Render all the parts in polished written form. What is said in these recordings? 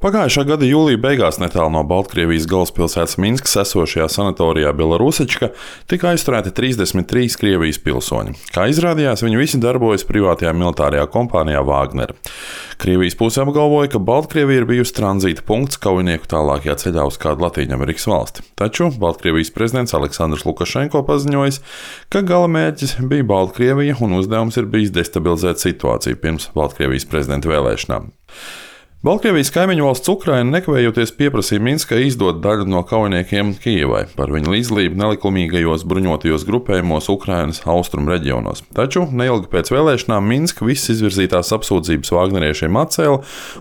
Pagājušā gada jūlija beigās netālu no Baltkrievijas galvaspilsētas Minskas esošajā sanatorijā Belarusička tika aizturēti 33 Krievijas pilsoņi. Kā izrādījās, viņi visi darbojas privātajā militārajā kompānijā Wagner. Krievijas puse apgalvoja, ka Baltkrievija ir bijusi tranzīta punkts kaujinieku tālākajā ceļā uz kādu Latvijas valsti. Taču Baltkrievijas prezidents Aleksandrs Lukašenko paziņojis, ka gala mērķis bija Baltkrievija un uzdevums ir bijis destabilizēt situāciju pirms Baltkrievijas prezidenta vēlēšanām. Baltkrievijas kaimiņu valsts Ukraina nekavējoties pieprasīja Minskai izdot daļu no kaujiniekiem Kijevai par viņu līdzdalību nelikumīgajos bruņotajos grupējumos Ukrainas austrumu reģionos. Taču neilgi pēc vēlēšanām Minska visas izvirzītās apsūdzības Wagneriešiem atcēla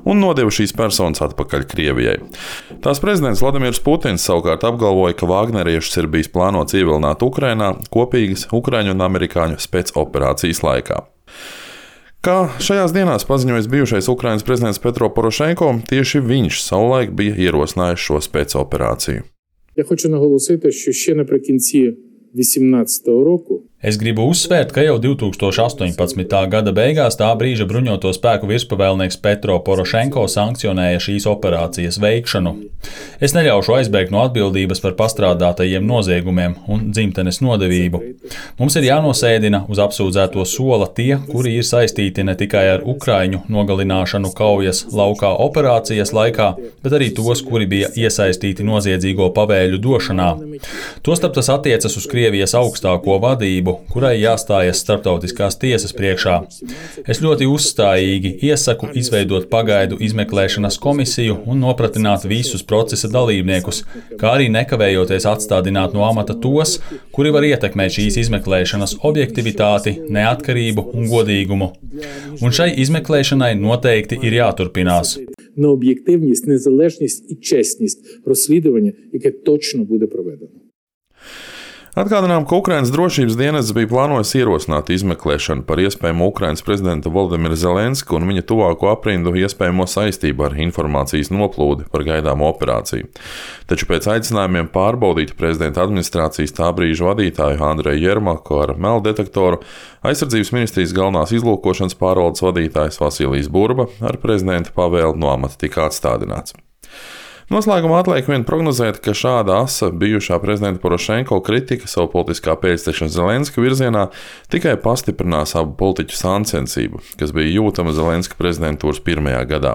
un nodeva šīs personas atpakaļ Krievijai. Tās prezidents Vladimirs Putins savukārt apgalvoja, ka Wagneriešus ir bijis plānots ievilināt Ukrainā kopīgas ukraiņu un amerikāņu spēcoperācijas laikā. Kā šajās dienās paziņojis bijušais Ukrainas prezidents Petro Porošenko, tieši viņš savulaik bija ierosinājis šo spēcoperāciju. Я хочу наголосити, що ще наприкінці 2018 року Es gribu uzsvērt, ka jau 2018. gada beigās tā brīža bruņoto spēku virspavēlnieks Petro Porošenko sankcionēja šīs operācijas veikšanu. Es neļaušu aizbēgt no atbildības par pastrādātajiem noziegumiem un dzimtenes nodevību. Mums ir jānosēdina uz apsūdzēto sola tie, kuri ir saistīti ne tikai ar ukraiņu nogalināšanu kaujas laukā operācijas laikā, bet arī tos, kuri bija iesaistīti noziedzīgo pavēļu došanā. Tostarp tas attiecas uz Krievijas augstāko vadību, kurai jāstājas starptautiskās tiesas priekšā. Es ļoti uzstājīgi iesaku izveidot pagaidu izmeklēšanas komisiju un nopratināt visus procesa dalībniekus, kā arī nekavējoties atstādināt no amata tos, kuri var ietekmēt šīs izmeklēšanas objektivitāti, neatkarību un godīgumu. Un šai izmeklēšanai noteikti ir jāturpinās. На об'єктивність, незалежність і чесність розслідування, яке точно буде проведено. Atgādinām, ka Ukrainas drošības dienests bija plānojis ierosināt izmeklēšanu par iespējamo Ukrainas prezidenta Volodimira Zelenska un viņa tuvāko aprindu iespējamo saistību ar informācijas noplūdi par gaidāmo operāciju. Taču pēc aicinājumiem pārbaudīt prezidenta administrācijas tā brīža vadītāju Andreju Jermaku ar melddetektoru, aizsardzības ministrijas galvenās izlūkošanas pārvaldes vadītājs Vasilijs Burba ar prezidenta pavēli no amata tika atstādināts. Noslēgumā atliek vien prognozēt, ka šāda asa bijušā prezidenta Porošenko kritika savu politiskā pēcteča Zelenska virzienā tikai pastiprinās abu politiķu sāncensību, kas bija jūtama Zelenska prezidentūras pirmajā gadā.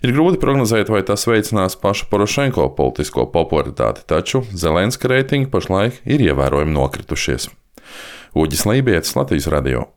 Ir grūti prognozēt, vai tas veicinās paša Porošenko politisko popularitāti, taču Zelenska reitingi pašlaik ir ievērojami nokritušies. Uģis Lībietis, Latvijas radio.